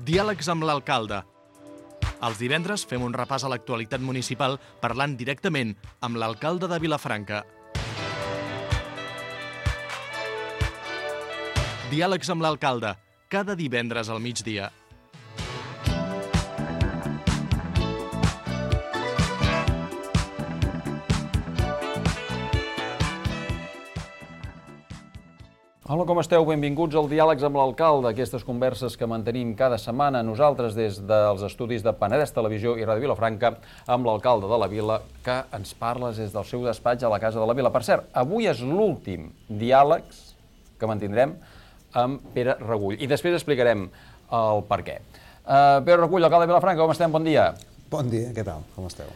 Diàlegs amb l'alcalde. Els divendres fem un repàs a l'actualitat municipal parlant directament amb l'alcalde de Vilafranca. Diàlegs amb l'alcalde, cada divendres al migdia. Hola, com esteu? Benvinguts al Diàlegs amb l'alcalde, aquestes converses que mantenim cada setmana nosaltres des dels estudis de Penedès Televisió i Ràdio Vilafranca amb l'alcalde de la vila, que ens parla des del seu despatx a la Casa de la Vila. Per cert, avui és l'últim diàlegs que mantindrem amb Pere Regull i després explicarem el per què. Pere Regull, alcalde de Vilafranca, com estem? Bon dia. Bon dia, què tal? Com esteu?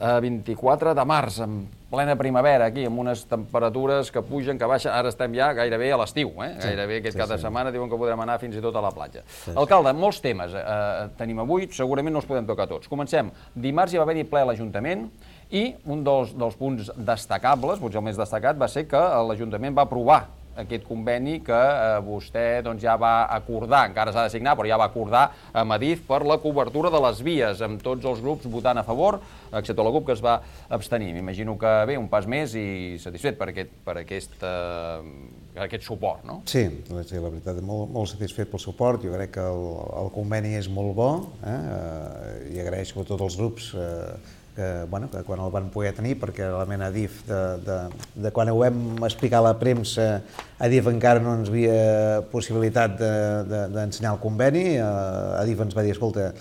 24 de març, en plena primavera, aquí, amb unes temperatures que pugen, que baixen. Ara estem ja gairebé a l'estiu, gairebé aquest cap de setmana diuen que podrem anar fins i tot a la platja. Alcalde, molts temes tenim avui, segurament no els podem tocar tots. Comencem. Dimarts hi va haver-hi ple a l'Ajuntament i un dels punts destacables, potser el més destacat, va ser que l'Ajuntament va aprovar aquest conveni que vostè ja va acordar, encara s'ha de signar, però ja va acordar amb Adif per la cobertura de les vies, amb tots els grups votant a favor, excepte la CUP, que es va abstenir. M'imagino que bé, un pas més i satisfet per aquest suport, no? Sí, la veritat, molt satisfet pel suport. Jo crec que el conveni és molt bo i agraeixo a tots els grups que quan el van poder tenir, perquè realment Adif, de quan ho vam explicar a la premsa, Adif encara no ens havia possibilitat d'ensenyar el conveni. Adif ens va dir, escolta,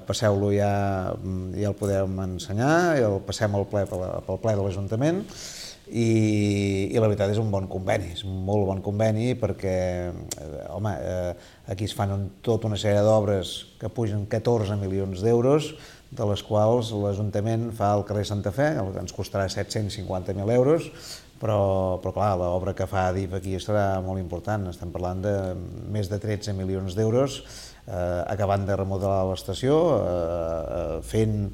passeu-lo ja el podem ensenyar, el passem pel ple de l'Ajuntament, i la veritat és un bon conveni, és un molt bon conveni, perquè, home, aquí es fan tota una sèrie d'obres que pugen 14 milions d'euros, de les quals l'Ajuntament fa el carrer Santa Fe, que ens costarà 750.000 euros, però clar, l'obra que fa Adif aquí serà molt important. Estem parlant de més de 13 milions d'euros, acabant de remodelar l'estació, fent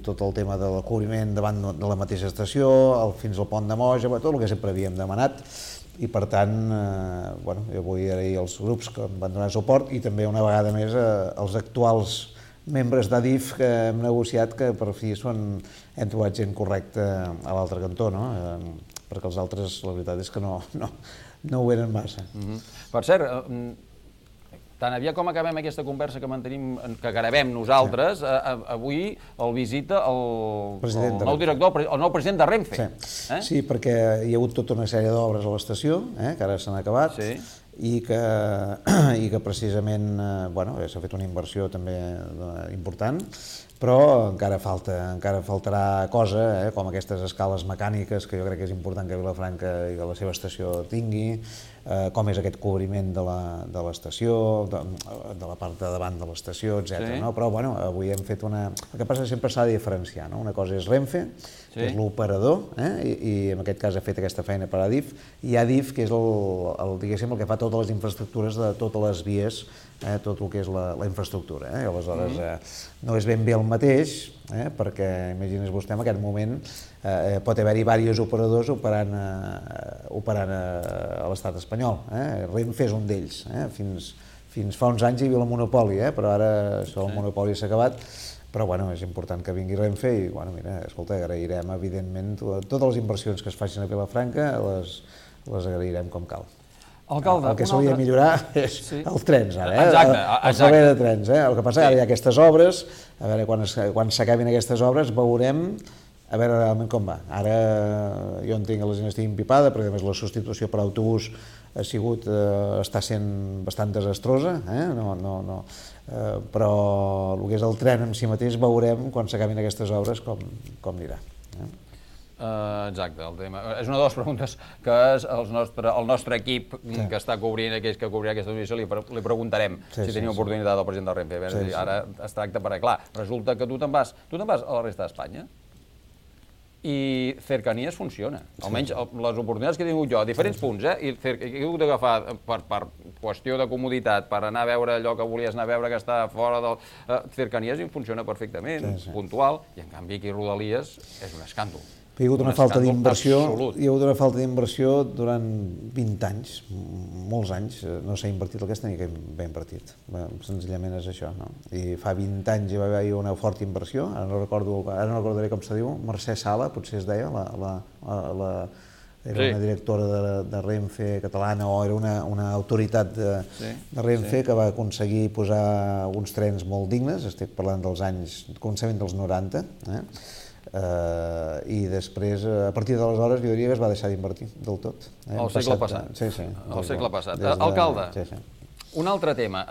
tot el tema del cobriment davant de la mateixa estació, fins al pont de Moja, tot el que sempre havíem demanat. I per tant, jo vull agrair als grups que em van donar suport i també una vegada més als actuals membres d'Adif que hem negociat, que per fi hem trobat gent correcta a l'altre cantó, no? Perquè els altres, la veritat és que no ho eren massa. Per cert, tan aviat com acabem aquesta conversa que mantenim, que gravem nosaltres, avui el visita el nou director, el nou president de Renfe. Sí, perquè hi ha hagut tota una sèrie d'obres a l'estació, que ara s'han acabat, i que precisament s'ha fet una inversió també important, però encara faltarà cosa, com aquestes escales mecàniques que jo crec que és important que Vilafranca i que la seva estació tingui, com és aquest cobriment de l'estació, de la part de davant de l'estació, etc. Però avui hem fet una... El que passa és que sempre s'ha de diferenciar, no? Una cosa és Renfe, que és l'operador, i en aquest cas ha fet aquesta feina per Adif, i Adif, que és el que fa totes les infraestructures de totes les vies, tot el que és la infraestructura. Aleshores, no és ben bé el mateix, perquè imagines vostè en aquest moment pot haver-hi diversos operadors operant a l'estat espanyol. Renfe és un d'ells. Fins fa uns anys hi havia el monopoli, però ara això el monopoli s'ha acabat. Però és important que vingui Renfe i, escolta, agrairem, evidentment, totes les inversions que es facin a Vilafranca, les agrairem com cal. Alcalde, el que s'hauria de millorar és els trens, ara, el servei de trens. El que passa és que ara hi ha aquestes obres, a veure, quan s'acabin aquestes obres veurem a veure realment com va. Ara jo entenc que la gent estigui empipada, perquè a més la substitució per autobús està sent bastant desastrosa, però el que és el tren en si mateix veurem quan s'acabin aquestes obres com anirà. Exacte, el tema. És una de les preguntes que el nostre equip que està cobrint, que cobrirà aquesta notícia, li preguntarem si tenia oportunitat al president del Renfe. Ara es tracta perquè, clar, resulta que tu te'n vas a la resta d'Espanya i Cercanías funciona. Almenys les oportunitats que he tingut jo a diferents punts, i he hagut d'agafar per qüestió de comoditat, per anar a veure allò que volies anar a veure que està fora del... Cercanías funciona perfectament, puntual, i en canvi aquí Rodalies és un escàndol. Hi ha hagut una falta d'inversió, absolut. hi ha hagut una falta d'inversió durant 20 anys, molts anys, no s'ha invertit el que es tenia que haver invertit. Senzillament és això, no? I fa 20 anys hi va haver una forta inversió, ara no recordaré com se diu, Mercè Sala, potser es deia, era una directora de Renfe catalana o era una autoritat de Renfe que va aconseguir posar uns trens molt dignes, estic parlant dels anys, començament dels 90, i després, a partir d'aleshores, jo diria que es va deixar d'invertir del tot. El segle passat. Sí, sí. El segle passat. Alcalde, un altre tema.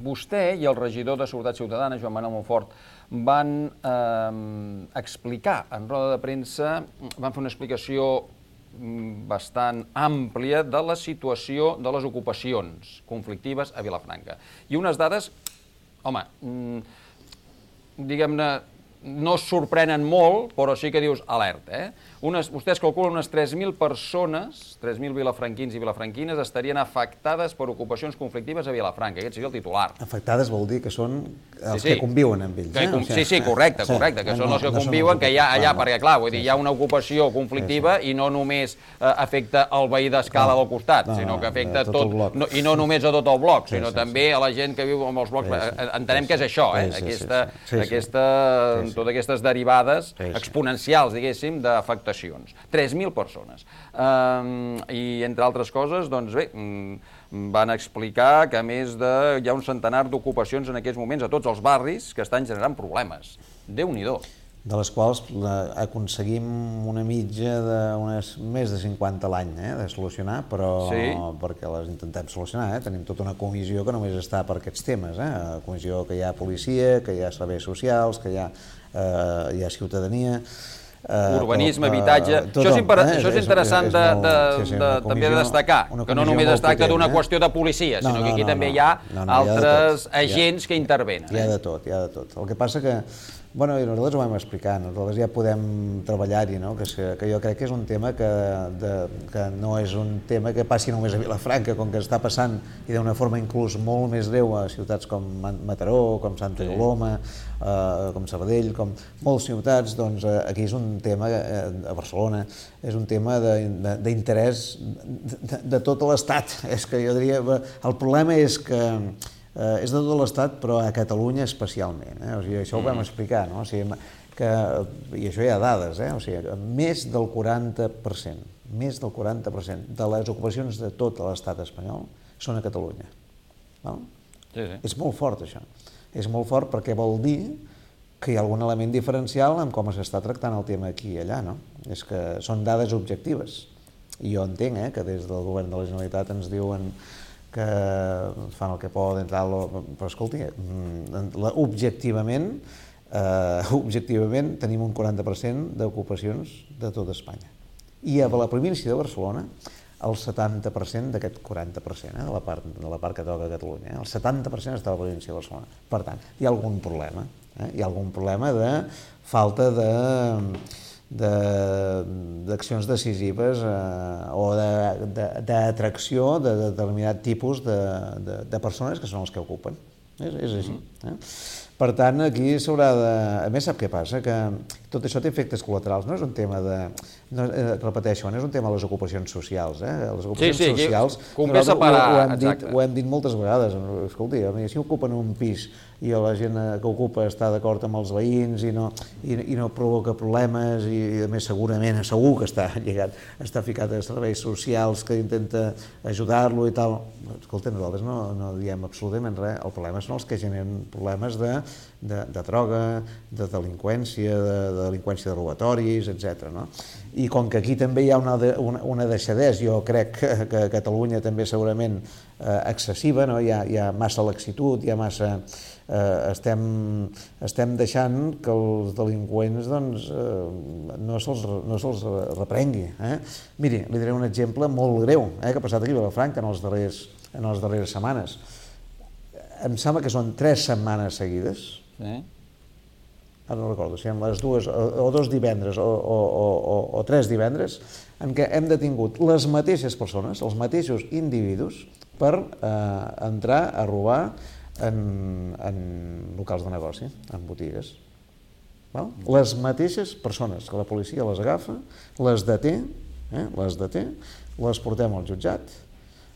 Vostè i el regidor de Seguretat Ciutadana, Joan Manuel Monfort, van explicar en roda de premsa, van fer una explicació bastant àmplia de la situació de les ocupacions conflictives a Vilafranca. I unes dades, home, diguem-ne, no es sorprenen molt, però sí que dius alerta. Vostès calculen unes 3.000 persones, 3.000 vilafranquins i vilafranquines, estarien afectades per ocupacions conflictives a Vilafranca. Aquest seria el titular. Afectades vol dir que són els que conviuen amb ells. Sí, correcte, que són els que conviuen, que hi ha allà, perquè clar, vull dir, hi ha una ocupació conflictiva i no només afecta el veí d'Escala del costat, sinó que afecta tot, i no només a tot el bloc, sinó també a la gent que viu en els blocs. Entenem que és això, totes aquestes derivades exponencials, diguéssim, d'afectacions. 3.000 persones. I, entre altres coses, doncs bé, van explicar que a més hi ha un centenar d'ocupacions en aquests moments a tots els barris que estan generant problemes. Déu-n'hi-do. De les quals aconseguim una mitja d'unes més de 50 a l'any de solucionar, però perquè les intentem solucionar. Tenim tota una comissió que només està per aquests temes. Comissió que hi ha policia, que hi ha serveis socials, que hi ha ciutadania... Urbanisme, habitatge... Això és interessant també de destacar, que no només es tracta d'una qüestió de policia, sinó que aquí també hi ha altres agents que intervenen. Hi ha de tot, hi ha de tot. El que passa que, bueno, i nosaltres ho vam explicar, nosaltres ja podem treballar-hi, que jo crec que és un tema que no és un tema que passi només a Vilafranca, com que està passant i d'una forma inclús molt més greu a ciutats com Mataró, com Santa Coloma, com Sabadell, com moltes ciutats, doncs aquí és un tema, a Barcelona, és un tema d'interès de tot l'Estat. És que jo diria, el problema és que és de tot l'Estat, però a Catalunya especialment. Això ho vam explicar, no? I això hi ha dades, més del 40%, de les ocupacions de tot l'Estat espanyol són a Catalunya. És molt fort, això. És molt fort perquè vol dir que hi ha algun element diferencial en com s'està tractant el tema aquí i allà, no? És que són dades objectives. I jo entenc que des del govern de la Generalitat ens diuen que fan el que poden, però escolti, objectivament tenim un 40% d'ocupacions de tot Espanya. I a la província de Barcelona, el 70% d'aquest 40%, de la part que toca a Catalunya, el 70% està a la província de Barcelona. Per tant, hi ha algun problema. Hi ha algun problema de falta d'accions decisives o d'atracció de determinat tipus de persones que són els que ocupen. És així. Per tant, aquí s'haurà de... A més, sap què passa? Que tot això té efectes col·laterals. No és un tema de... Repeteixo, no és un tema de les ocupacions socials. Les ocupacions socials... convé separar, exacte. Ho hem dit moltes vegades. Escolti, si ocupen un pis i la gent que ocupa està d'acord amb els veïns i no provoca problemes i, a més, segur que està lligat, està ficat a serveis socials que intenta ajudar-lo i tal. Escolta, nosaltres no diem absolutament res. El problema són els que generen problemes de droga, de delinqüència, de delinqüència de robatoris, etc. I com que aquí també hi ha una deixadesa, jo crec que a Catalunya també segurament excessiva, hi ha massa laxitud, hi ha massa... Estem deixant que els delinqüents no se'ls reprengui. Miri, li diré un exemple molt greu que ha passat aquí a Vilafranca en les darreres setmanes. Em sembla que són 3 setmanes seguides, ara no recordo si en les dues o 2 divendres o 3 divendres, en què hem detingut les mateixes persones, els mateixos individus, per entrar a robar en locals de negoci, en botigues. Les mateixes persones que la policia les agafa, les deté, les portem al jutjat,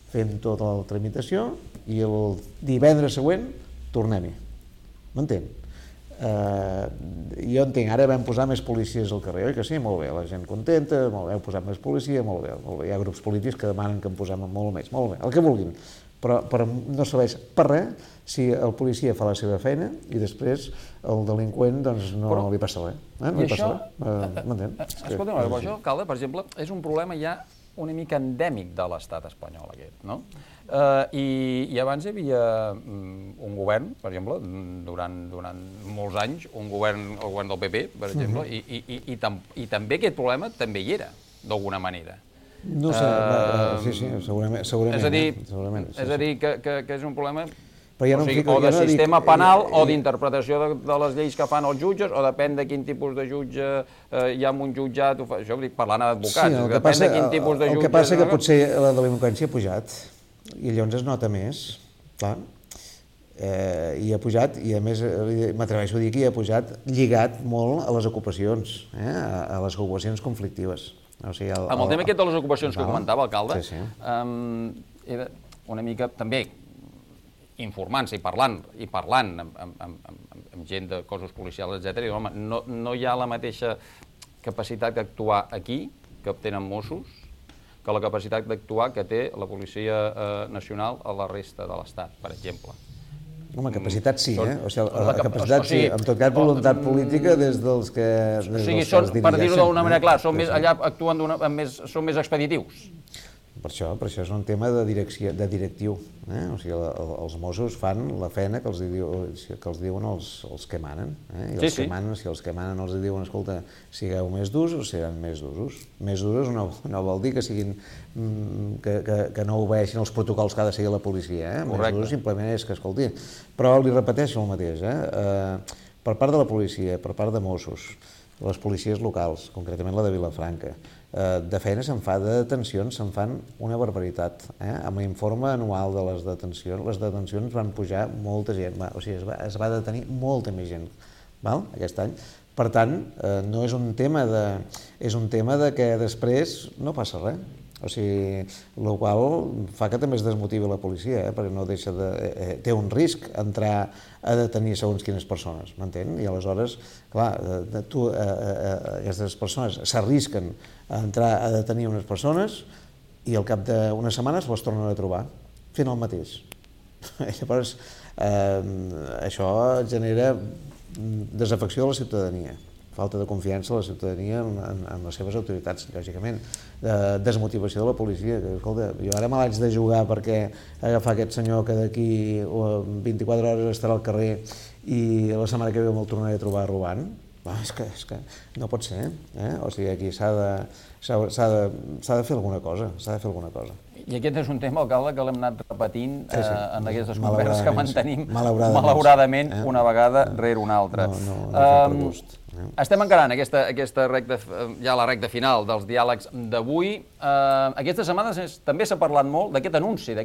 fem tota la tramitació i el divendres següent tornem-hi. M'entén? Jo entenc, ara vam posar més policies al carrer, oi que sí? Molt bé, la gent contenta, molt bé, heu posat més policia, molt bé. Hi ha grups polítics que demanen que en posem molt més, molt bé, el que vulguin. Però no serveix per res si el policia fa la seva feina i després el delinqüent no li passa res. No li passa res. M'entén? Escolta'm, això, alcalde, per exemple, és un problema ja una mica endèmic de l'estat espanyol aquest, no? I abans hi havia un govern, per exemple, durant molts anys, el govern del PP, per exemple, i també aquest problema també hi era, d'alguna manera. No sé, sí, segurament. És a dir, que és un problema o de sistema penal o d'interpretació de les lleis que fan els jutges, o depèn de quin tipus de jutge hi ha en un jutjat. Això ho dic parlant d'advocats, depèn de quin tipus de jutge. El que passa que potser la delinqüència ha pujat i llavors es nota més, clar. I ha pujat, i a més m'atreveixo a dir que ha pujat lligat molt a les ocupacions, a les ocupacions conflictives. Amb el tema aquest de les ocupacions que comentava, alcalde, era una mica també informant-se i parlant amb gent de cossos policials, etc. I home, no hi ha la mateixa capacitat d'actuar aquí que tenen Mossos que la capacitat d'actuar que té la Policia Nacional a la resta de l'Estat, per exemple. Home, capacitat sí, O sigui, la capacitat sí, en tot cas voluntat política des dels que es dirigeixen. Per dir-ho d'una manera clara, allà actuen són més expeditius. Per això és un tema de directiu. O sigui, els Mossos fan la feina que els diuen els que manen. I els que manen, si els que manen els diuen, escolta, sigueu més durs, seran més durs. Més durs no vol dir que no obeeixin els protocols que ha de seguir la policia. Més durs simplement és que, escolti, però li repeteixo el mateix. Per part de la policia, per part de Mossos, les policies locals, concretament la de Vilafranca, de feina se'n fa, de detencions se'n fan una barbaritat. Amb l'informe anual de les detencions van pujar molta gent, o sigui, es va detenir molta més gent aquest any. Per tant, no és un tema de que després no passa res. O sigui, el qual fa que també es desmotivi la policia, perquè no deixa de... té un risc entrar a detenir segons quines persones, m'entén? I aleshores, clar, aquestes persones s'arrisquen a entrar a detenir unes persones i al cap d'unes setmanes les tornen a trobar, fent el mateix. Llavors, això genera desafecció de la ciutadania, falta de confiança de la ciutadania en les seves autoritats, lògicament, desmotivació de la policia, que, escolta, jo ara me l'haig de jugar perquè agafar aquest senyor que d'aquí 24 hores estarà al carrer i la setmana que ve me'l tornaré a trobar robant. És que no pot ser, O sigui, aquí s'ha de fer alguna cosa, I aquest és un tema, alcalde, que l'hem anat repetint en aquestes converses que mantenim, malauradament, una vegada rere una altra. Estem encarant ja la recta final dels diàlegs d'avui. Aquesta setmana també s'ha parlat molt d'aquest anunci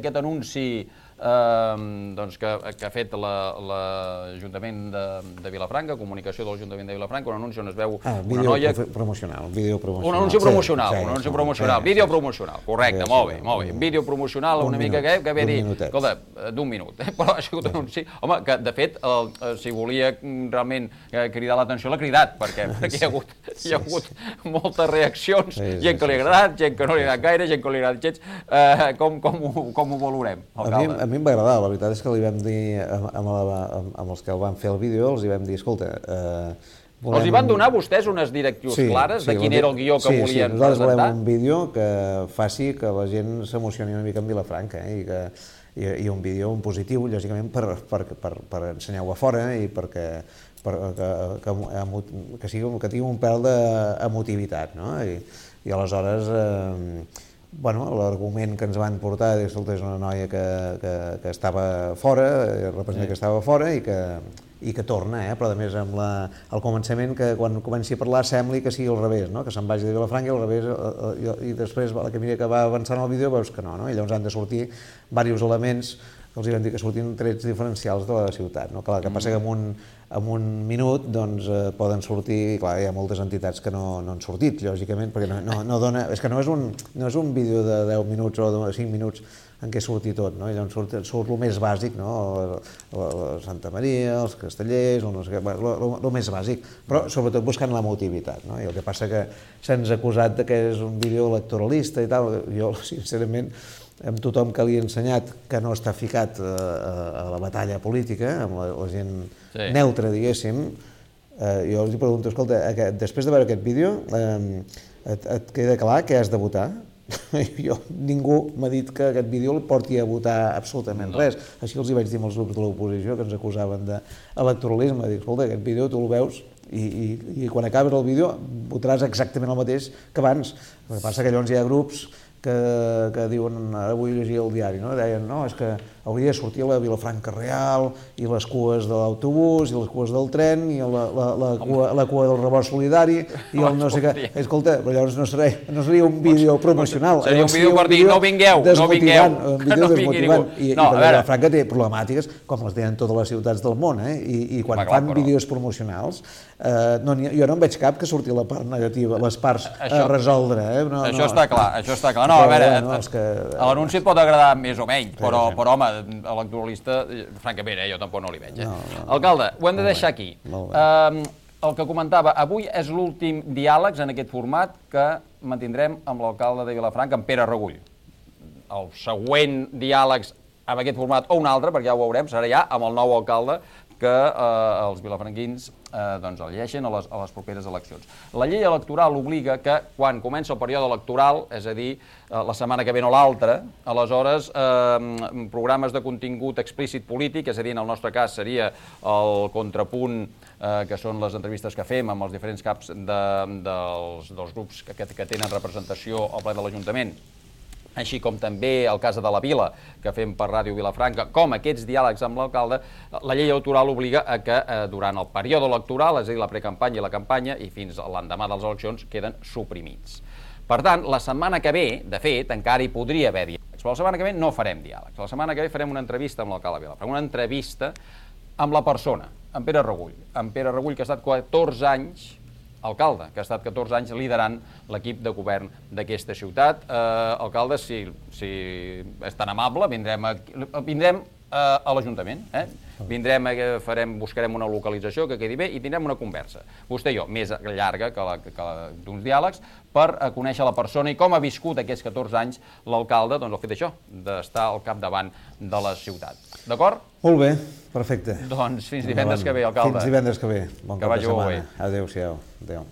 que ha fet l'Ajuntament de Vilafranca, comunicació de l'Ajuntament de Vilafranca, un anunci on es veu una noia... Un vídeo promocional. Un anunci promocional, vídeo promocional, correcte, molt bé. Vídeo promocional una mica que ve a dir, escolta, d'un minut, però ha sigut un anunci, home, que de fet, si volia realment cridar l'atenció, l'ha cridat, perquè hi ha hagut moltes reaccions, gent que li ha agradat, gent que no li ha agradat gaire, gent que li ha agradat gens, com ho valorem, alcalde? A mi em va agradar, la veritat és que li vam dir, amb els que el van fer el vídeo, els hi vam dir, escolta... Els hi van donar vostès unes directius clares de quin era el guió que volien presentar? Sí, nosaltres volem un vídeo que faci que la gent s'emocioni una mica amb Vilafranca, i un vídeo positiu, lògicament, per ensenyar-ho a fora i perquè que tingui un pèl d'emotivitat, no? I aleshores... l'argument que ens van portar és que és una noia que estava fora, representa que estava fora i que torna, però a més amb el començament que quan comenci a parlar sembli que sigui al revés, que se'n vagi de Vilafranca i al revés, i després a la que va avançant el vídeo veus que no, i llavors han de sortir diversos elements que els vam dir que sortien trets diferencials de la ciutat. El que passa que en un minut doncs, poden sortir, clar, hi ha moltes entitats que no han sortit, lògicament, perquè no dona, és que no és un vídeo de 10 minuts o de 5 minuts en què surti tot, no? Llavors surt el més bàsic, no? La Santa Maria, els castellers, el més bàsic, però sobretot buscant l'emotivitat, no? I el que passa que se'ns ha acusat que és un vídeo electoralista i tal, jo sincerament amb tothom que li he ensenyat que no està ficat a la batalla política, amb la gent neutra, diguéssim, jo els pregunto, escolta, després de veure aquest vídeo, et queda clar que has de votar? Ningú m'ha dit que aquest vídeo el porti a votar absolutament res. Així els hi vaig dir als grups de l'oposició que ens acusaven d'electoralisme. Dic, escolta, aquest vídeo tu el veus i quan acabes el vídeo votaràs exactament el mateix que abans. El que passa que llavors hi ha grups que diuen, ara vull llegir el diari, deien, no, és que hauria de sortir la Vilafranca Real i les cues de l'autobús i les cues del tren i la cua del rebost solidari i el no sé què. Escolta, però llavors no seria un vídeo promocional. Seria un vídeo per dir, no vingueu, no vingueu. Un vídeo desmotivant. I Vilafranca té problemàtiques com les tenen totes les ciutats del món, i quan fan vídeos promocionals jo no en veig cap que surti la part negativa, les parts a resoldre. Això està clar, això està clar. No, a veure, l'anunci et pot agradar més o menys, però home, electoralista, francament, jo tampoc no li veig. Alcalde, ho hem de deixar aquí. El que comentava, avui és l'últim diàleg en aquest format que mantindrem amb l'alcalde de Vilafranca, amb Pere Regull. El següent diàleg amb aquest format o un altre, perquè ja ho veurem, serà ja amb el nou alcalde que els vilafranquins el llegeixen a les properes eleccions. La llei electoral obliga que quan comença el període electoral, és a dir, la setmana que ve no l'altra, aleshores programes de contingut explícit polític, és a dir, en el nostre cas seria el contrapunt, que són les entrevistes que fem amb els diferents caps dels grups que tenen representació al ple de l'Ajuntament, així com també el cas de la Vila, que fem per Ràdio Vilafranca, com aquests diàlegs amb l'alcalde, la llei electoral obliga a que durant el període electoral, és a dir, la precampanya i la campanya, i fins l'endemà de les eleccions, queden suprimits. Per tant, la setmana que ve, de fet, encara hi podria haver diàlegs, però la setmana que ve no farem diàlegs. La setmana que ve farem una entrevista amb l'alcalde de Vilafranca, una entrevista amb la persona, amb Pere Regull. Amb Pere Regull, que ha estat 14 anys alcalde, que ha estat 14 anys liderant l'equip de govern d'aquesta ciutat. Alcalde, si és tan amable, vindrem a l'Ajuntament. Buscarem una localització que quedi bé i tindrem una conversa. Vostè i jo, més llarga que d'uns diàlegs, per conèixer la persona i com ha viscut aquests 14 anys l'alcalde, doncs el fet d'això, d'estar al capdavant de la ciutat. D'acord? Molt bé, perfecte. Doncs fins divendres que ve, alcalde. Fins divendres que ve. Bon cap de setmana. Adéu-siau. Adéu.